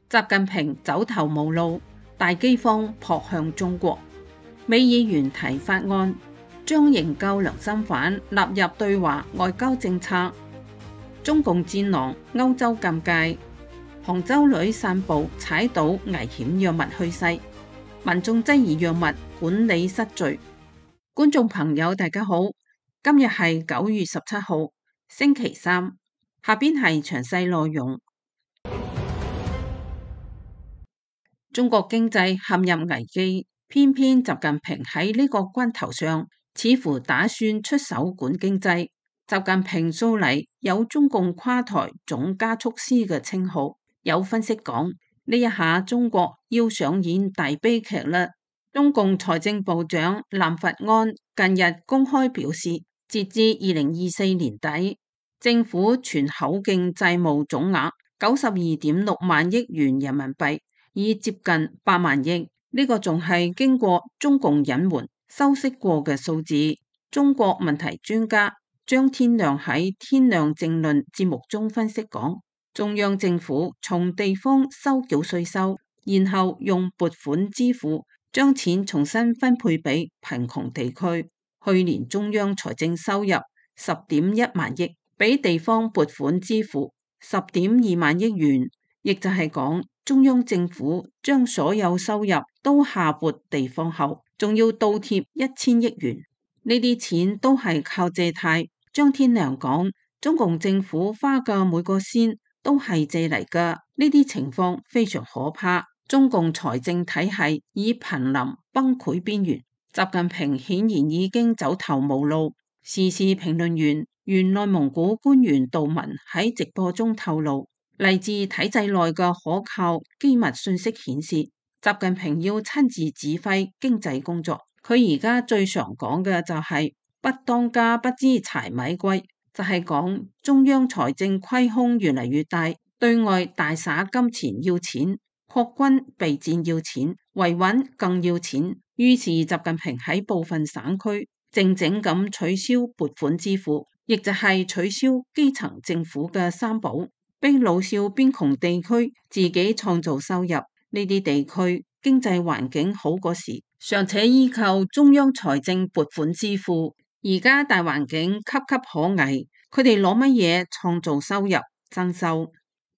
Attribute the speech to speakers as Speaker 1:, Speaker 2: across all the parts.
Speaker 1: 習近平走投無路，大饑荒撲向中國。美議員提法案，將營救良心犯納入對華外交政策。中共戰狼歐洲禁戒，杭州女散步踩到危險藥物去世，民眾質疑藥物管理失序。觀眾朋友大家好，今日係9月17號，星期三，下邊係詳細內容。中國經濟陷入危機，偏偏習近平喺呢個關頭上，似乎打算出手管經濟。習近平素嚟有中共垮台總加速師嘅稱號，有分析講呢一下中國要上演大悲劇啦。中共財政部長藍佛安近日公開表示，截至2024年底，政府全口徑債務總額92.6萬億元人民幣，已接近8萬億。呢個仲係經過中共隱瞞修飾過嘅數字。中國問題專家張天亮喺天亮政論節目中分析講，中央政府從地方收繳稅收，然後用撥款支付，將錢重新分配俾貧窮地區。去年中央財政收入10.1萬億，俾地方撥款支付10.2萬億元，亦就係講中央政府將所有收入都下撥地方後，仲要倒貼1000億元，呢啲錢都係靠借貸。張天亮講，中共政府花嘅每個仙都係借嚟㗎，呢啲情況非常可怕。中共財政體系已瀕臨崩潰邊緣，習近平顯然已經走投無路。時事評論員原內蒙古官員杜文喺直播中透露，嚟自體制內嘅可靠機密信息顯示，習近平要親自指揮經濟工作。佢而家最常講嘅就係不當家不知柴米貴，就係講中央財政虧空越嚟越大，對外大灑金錢要錢，擴軍備戰要錢，維穩更要錢。於是習近平喺部分省區靜靜咁取消撥款支付，亦就係取消基層政府嘅三保，逼老少邊窮地區自己創造收入。呢啲地區經濟環境好嗰時，尚且依靠中央財政撥款支付，而家大環境岌岌可危，佢哋攞乜嘢創造收入增收？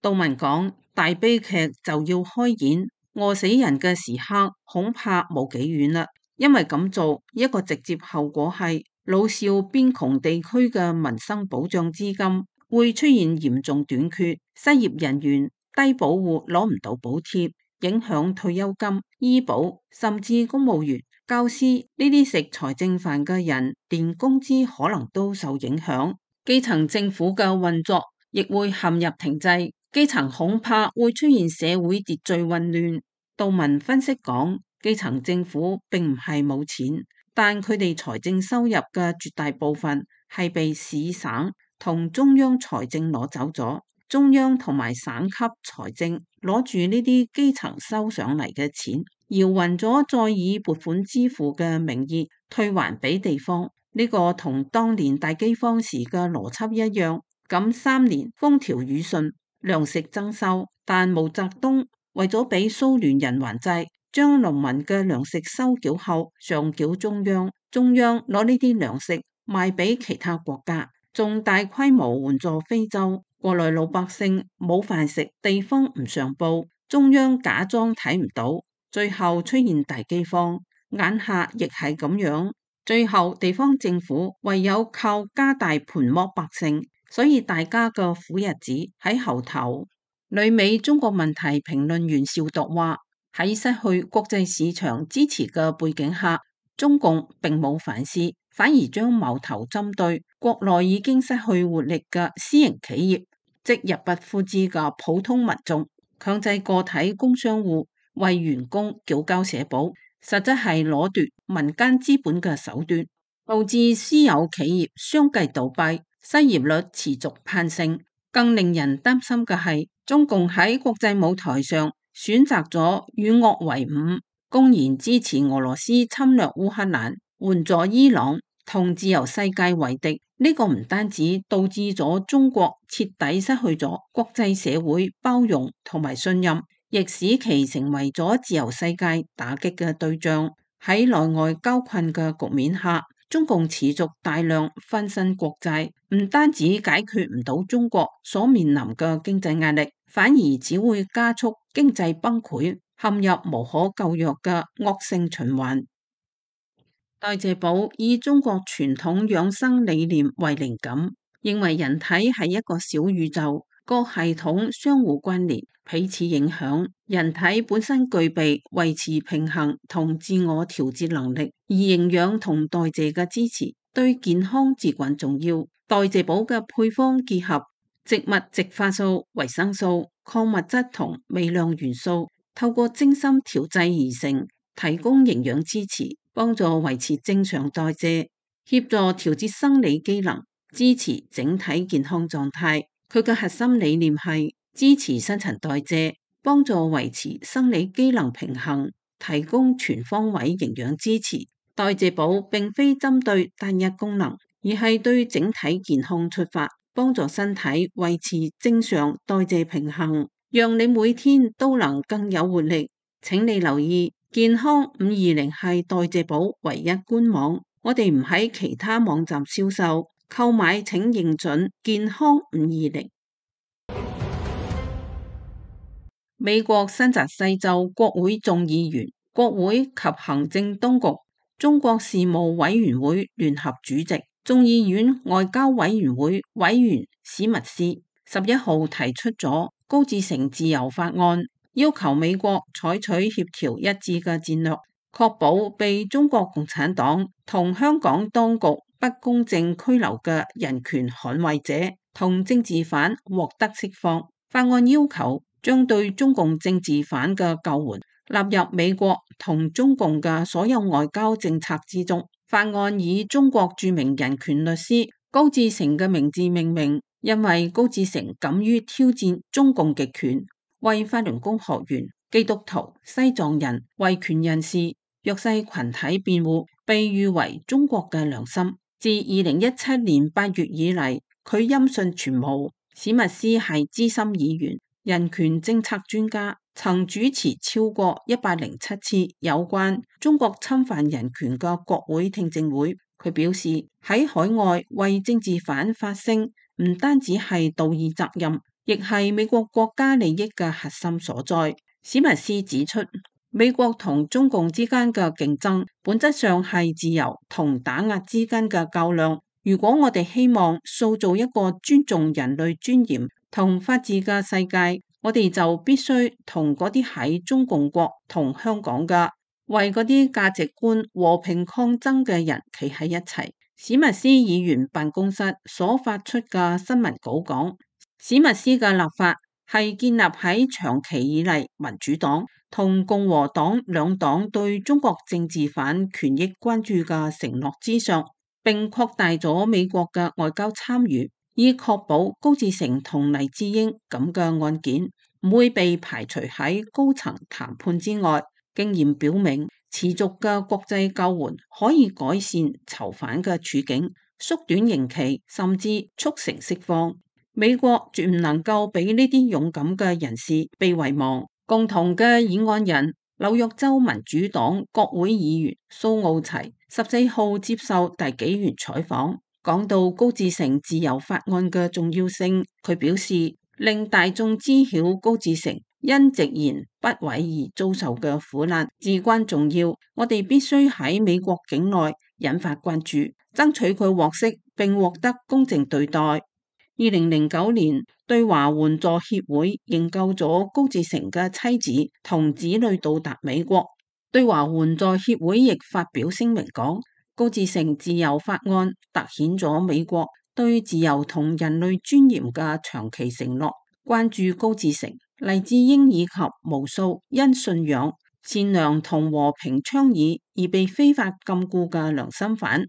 Speaker 1: 杜文講，大悲劇就要開演，餓死人嘅時刻恐怕冇幾遠啦。因為咁做，一個直接後果係老少邊窮地區嘅民生保障資金會出現嚴重短缺，失業人員低保戶攞唔到補貼，影響退休金、醫保，甚至公務員、教師呢啲食財政飯嘅人，連工資可能都受影響。基層政府嘅運作亦會陷入停滯，基層恐怕會出現社會秩序混亂。杜文分析講，基層政府並唔係冇錢，但佢哋財政收入嘅絕大部分係被市省同中央財政攞走咗。中央同埋省級財政攞住呢啲基層收上嚟嘅錢，搖勻咗，再以撥款支付嘅名義退還俾地方。呢個同當年大饑荒時嘅邏輯一樣。咁3年風調雨順，糧食增收，但毛澤東為咗俾蘇聯人還債，將農民嘅糧食收繳後上繳中央，中央攞呢啲糧食賣俾其他國家，仲大規模援助非洲。國內老百姓冇飯食，地方唔上報，中央假裝睇唔到，最後出現大饑荒。眼下亦係咁樣，最後地方政府唯有靠加大盤剝百姓，所以大家嘅苦日子喺後頭。旅美中國問題評論員邵鐸話，喺失去國際市場支持嘅背景下，中共並冇反思，反而將矛頭針對國內已經失去活力嘅私營企業，即入不敷支嘅普通民眾，強制個體工商戶為員工繳交社保，實質係攞奪民間資本嘅手段，導致私有企業相繼倒閉，失業率持續攀升。更令人擔心嘅係，中共喺國際舞台上選擇咗與惡為伍，公然支持俄羅斯侵略烏克蘭，援助伊朗，同自由世界為敵。呢個唔單止導致咗中國徹底失去咗國際社會包容同埋信任，亦使其成為咗自由世界打擊嘅對象。喺內外交困嘅局面下，中共持續大量翻新國債，唔單止解決唔到中國所面臨嘅經濟壓力，反而只會加速經濟崩潰，陷入無可救藥嘅惡性循環。代謝寶以中國傳統養生理念為靈感，認為人體係一個小宇宙，各系統相互關聯，彼此影響。人體本身具備維持平衡同自我調節能力，而營養同代謝嘅支持對健康至關重要。代謝寶嘅配方結合植物植化素、維生素、礦物質同微量元素，透過精心調製而成，提供營養支持，幫助維持正常代謝，協助調節生理機能，支持整體健康狀態。佢嘅核心理念係支持新陳代謝，幫助維持生理機能平衡，提供全方位營養支持。代謝寶並非針對單一功能，而係對整體健康出發，幫助身體維持正常代謝平衡，讓你每天都能更有活力。請你留意，健康520係代謝寶唯一官網，我哋唔喺其他網站銷售。購買請認準健康520。美國新澤西州國會眾議員、國會及行政當局中國事務委員會聯合主席、眾議院外交委員會委員史密斯11號提出咗高志成自由法案，要求美國採取協調一致嘅戰略，確保被中國共產黨同香港當局不公正拘留嘅人權捍衛者同政治犯獲得釋放。法案要求將對中共政治犯嘅救援納入美國同中共嘅所有外交政策之中。法案以中國著名人權律師高志成嘅名字命名，因為高志成敢於挑戰中共極權，為法輪功學員、基督徒、西藏人、維權人士、弱勢群體辯護，被譽為中國嘅良心。自2017年8月以嚟，佢音訊全無。史密斯係資深議員、人權政策專家，曾主持超過107次有關中國侵犯人權嘅國會聽證會。佢表示，喺海外為政治犯發聲，唔單止係道義責任，亦係美國國家利益嘅核心所在。史密斯指出，美國同中共之間嘅競爭，本質上係自由同打壓之間嘅較量。如果我哋希望塑造一個尊重人類尊嚴同法治嘅世界，我哋就必須同嗰啲喺中共國同香港嘅為嗰啲價值觀和平抗爭嘅人企喺一齊。史密斯議員辦公室所發出嘅新聞稿講，史密斯嘅立法係建立喺長期以嚟民主黨同共和黨兩黨對中國政治犯權益關注嘅承諾之上，並擴大咗美國嘅外交參與，以確保高志成同黎智英咁嘅案件唔會被排除喺高層談判之外。經驗表明，持續嘅國際救援可以改善囚犯嘅處境，縮短刑期，甚至促成釋放。美國絕唔能夠俾呢啲勇敢嘅人士被遺忘。共同嘅議案人紐約州民主黨國會議員蘇奧齊14號接受大紀元採訪，講到高志成自由法案嘅重要性。佢表示，令大眾知曉高志成因直言不諱而遭受嘅苦難至關重要。我哋必須喺美國境內引發關注，爭取佢獲釋並獲得公正對待。2009年，對華援助協會營救咗高志成嘅妻子同子女到達美國。對華援助協會亦發表聲明講，高志成自由法案凸顯咗美國對自由同人類尊嚴嘅長期承諾，關注高志成、黎智英以及無數因信仰、善良同和平倡議而被非法禁錮嘅良心犯。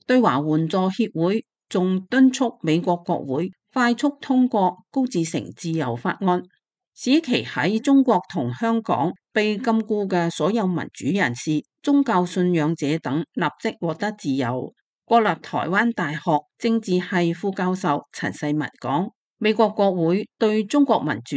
Speaker 1: 對華援助協會仲敦促美國國會快速通過高志成自由法案，使其喺中國同香港被禁錮嘅所有民主人士、宗教信仰者等立即獲得自由。國立台灣大學政治系副教授陳世文講，美國國會對中國民主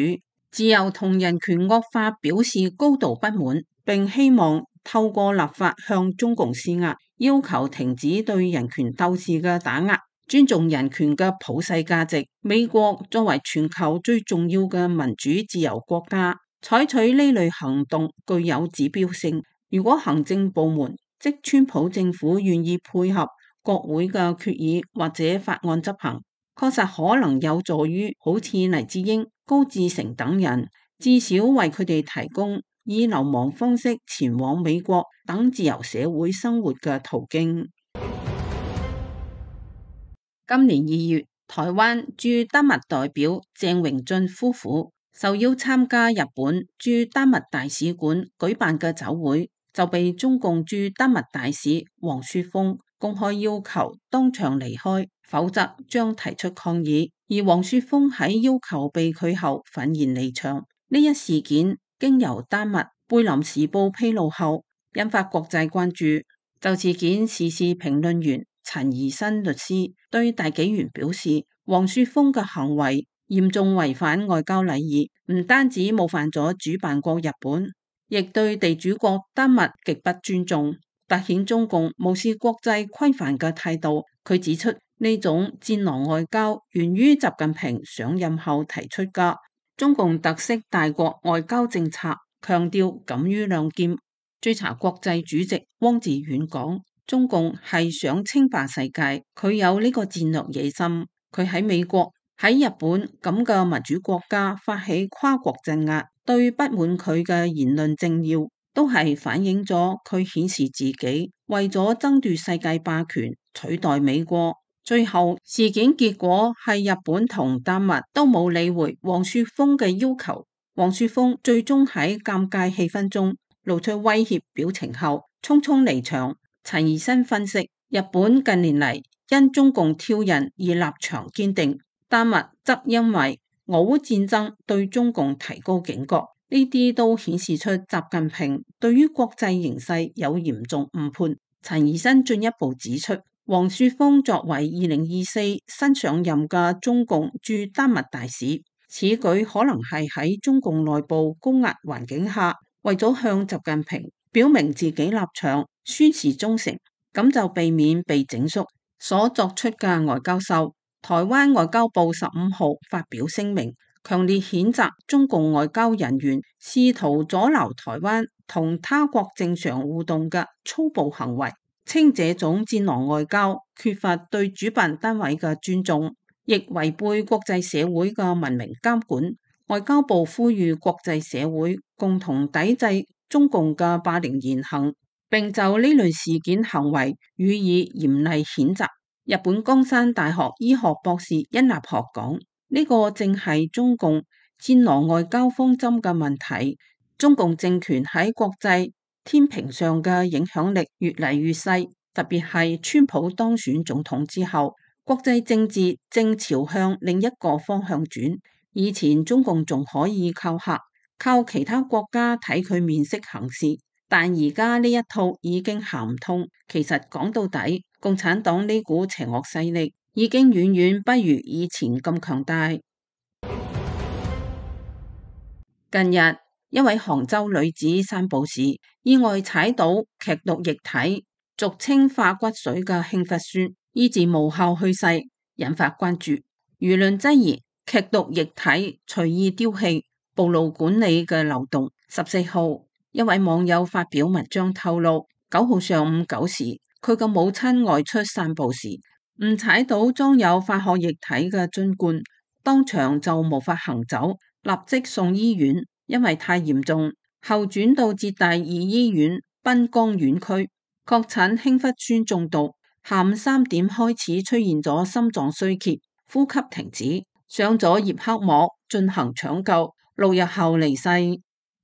Speaker 1: 自由同人權惡化表示高度不滿，並希望透過立法向中共施壓，要求停止對人權鬥士嘅打壓，尊重人權嘅普世價值。美國作為全球最重要嘅民主自由國家，採取呢類行動具有指標性。如果行政部門即川普政府願意配合國會嘅決議或者法案執行，確實可能有助於好似黎智英、高志成等人，至少為佢哋提供以流亡方式前往美國等自由社會生活嘅途徑。今年2月，台灣駐丹麥代表鄭榮俊夫婦受邀參加日本駐丹麥大使館舉辦嘅酒會，就被中共駐丹麥大使黃雪峰公開要求當場離開，否則將提出抗議。而黃雪峰喺要求被拒後憤然離場。呢一事件經由丹麥貝林時報披露後，引發國際關注。就事件，時事評論員陳怡新律師對大紀元表示，黃雪峰嘅行為嚴重違反外交禮儀，唔單止冒犯咗主辦國日本，亦對地主國丹麥極不尊重，凸顯中共無視國際規範嘅態度。佢指出，呢種戰狼外交源於習近平上任後提出嘅中共特色大國外交政策，強調敢於亮劍。追查國際主席汪志遠講，中共係想稱霸世界，佢有呢個戰略野心。佢喺美國、喺日本咁嘅民主國家發起跨國鎮壓，對不滿佢嘅言論政要，都係反映咗佢顯示自己為咗爭奪世界霸權，取代美國。最後事件結果係日本同丹麥都冇理會黃雪峰嘅要求，黃雪峰最終喺尷尬氣氛中露出威脅表情後，匆匆離場。陳怡新分析，日本近年嚟因中共挑釁而立場堅定，丹麥則因為俄烏戰爭對中共提高警覺，呢啲都顯示出習近平對於國際形勢有嚴重誤判。陳怡新進一步指出，黃雪峰作為2024新上任嘅中共駐丹麥大使，此舉可能係喺中共內部高壓環境下，為咗向習近平表明自己立場，宣示忠誠，咁就避免被整肅所作出嘅外交秀。台灣外交部15號發表聲明，強烈譴責中共外交人員試圖阻撓台灣同他國正常互動嘅粗暴行為，稱這種戰狼外交缺乏對主辦單位嘅尊重，亦違背國際社會嘅文明監管。外交部呼籲國際社會共同抵制中共嘅霸凌言行，並就呢類事件行為予以嚴厲譴責。日本岡山大學醫學博士殷立學講，呢個正係中共戰狼外交方針嘅問題。中共政權喺國際天平上嘅影響力越嚟越細，特別係川普當選總統之後，國際政治正朝向另一個方向轉。以前中共仲可以靠嚇，靠其他國家睇佢面色行事，但而家呢一套已經行唔通。其實講到底，共產黨呢股邪惡勢力已經遠遠不如以前咁強大。近日，一位杭州女子散步時意外踩到劇毒液體，俗稱化骨水嘅氫氟酸，醫治無效去世，引發關注。輿論質疑劇毒液體隨意丟棄，暴露管理嘅漏洞。14號，一位網友發表文章透露，9號上午9時，佢嘅母親外出散步時，誤踩到裝有化學液體嘅樽罐，當場就無法行走，立即送醫院，因為太嚴重，後轉到浙大2醫院濱江院區，確診氫氟酸中毒。下午3點開始出現咗心臟衰竭、呼吸停止，上咗葉克膜進行搶救，6日後離世。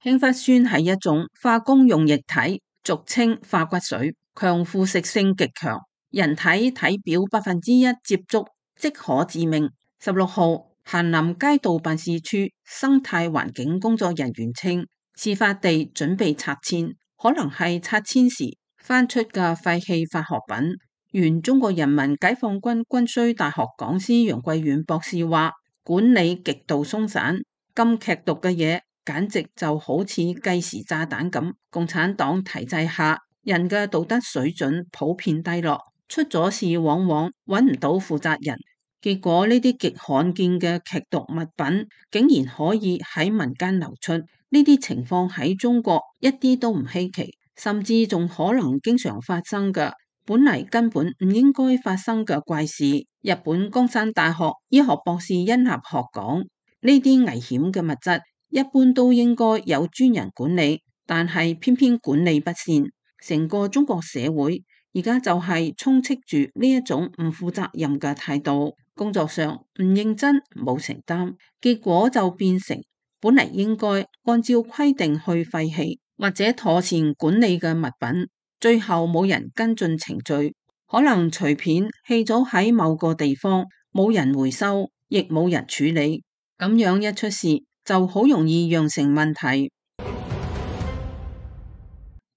Speaker 1: 氫氟酸係一種化工用液體，俗稱化骨水，強腐蝕性極強，人體體表1%接觸即可致命。16號，咸臨街道辦事處生態環境工作人員稱，事發地準備拆遷，可能係拆遷時翻出嘅廢棄化學品。原中國人民解放軍軍需大學講師楊貴遠博士話，管理極度鬆散，咁劇毒嘅嘢，簡直就好似計時炸彈咁。共產黨體制下，人嘅道德水準普遍低落，出咗事往往揾唔到負責人。結果呢啲極罕見嘅劇毒物品，竟然可以喺民間流出。呢啲情況喺中國一啲都唔稀奇，甚至仲可能經常發生嘅。本嚟根本唔應該發生嘅怪事。日本岡山大學醫學博士殷立學講，呢啲危險嘅物質一般都應該有專人管理，但係偏偏管理不善。成個中國社會而家就係充斥住呢一種唔負責任嘅態度，工作上唔認真冇承擔，結果就變成本嚟應該按照規定去廢棄或者妥善管理嘅物品，最後冇人跟進程序，可能隨便棄咗喺某個地方，冇人回收，亦冇人處理，咁樣一出事就好容易釀成問題。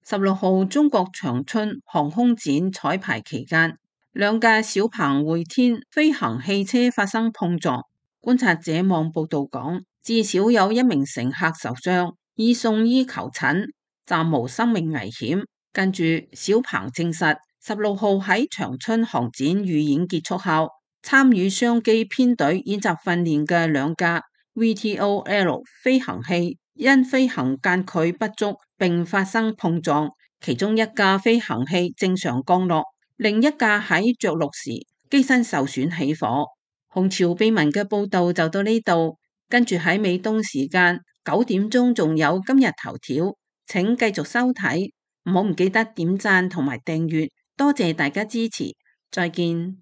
Speaker 1: 16號中國長春航空展彩排期間，兩架小鵬匯天飛行汽車發生碰撞。觀察者網報道講，至少有1名乘客受傷，已送醫求診，暫無生命危險。跟住小鵬證實，16號喺長春航展預演結束後，參與商機編隊演習訓練嘅兩架 VTOL 飛行器因飛行間距不足並發生碰撞，其中一架飛行器正常降落，另一架喺着陸時機身受損起火。紅潮秘聞嘅報道就到呢度，跟住喺美東時間9點鐘仲有今日頭條，請繼續收睇，唔記得點讚同埋訂閱，多謝大家支持，再見。